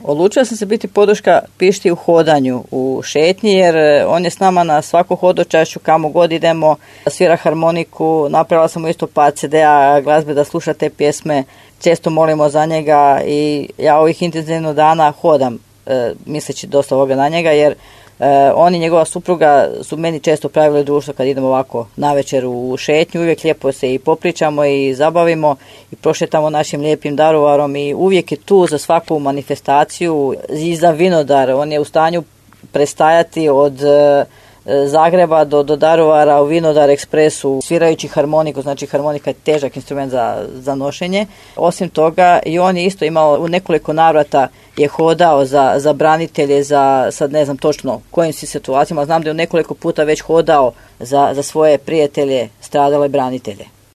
Odlučila sam se biti podrška Pišti u hodanju, u šetnji, jer on je s nama na svaku hodočašću, kamo god idemo, svira harmoniku, napravila sam mu isto par CD-a glazbe da sluša te pjesme, često molimo za njega i ja ovih intenzivno dana hodam, misleći dosta ovoga na njega, jer on i njegova supruga su meni često pravili društvo kad idemo ovako navečer u šetnju, uvijek lijepo se i popričamo i zabavimo i prošetamo našim lijepim Daruvarom i uvijek je tu za svaku manifestaciju i za vinodar. On je u stanju prestajati od Zagreba do Daruvara u Vinodar ekspresu svirajući harmoniku, znači harmonika je težak instrument za nošenje. Osim toga i on je isto imao u nekoliko navrata je hodao za branitelje, sad ne znam točno kojim si situacijama, znam da je u nekoliko puta već hodao za svoje prijatelje, stradale branitelje.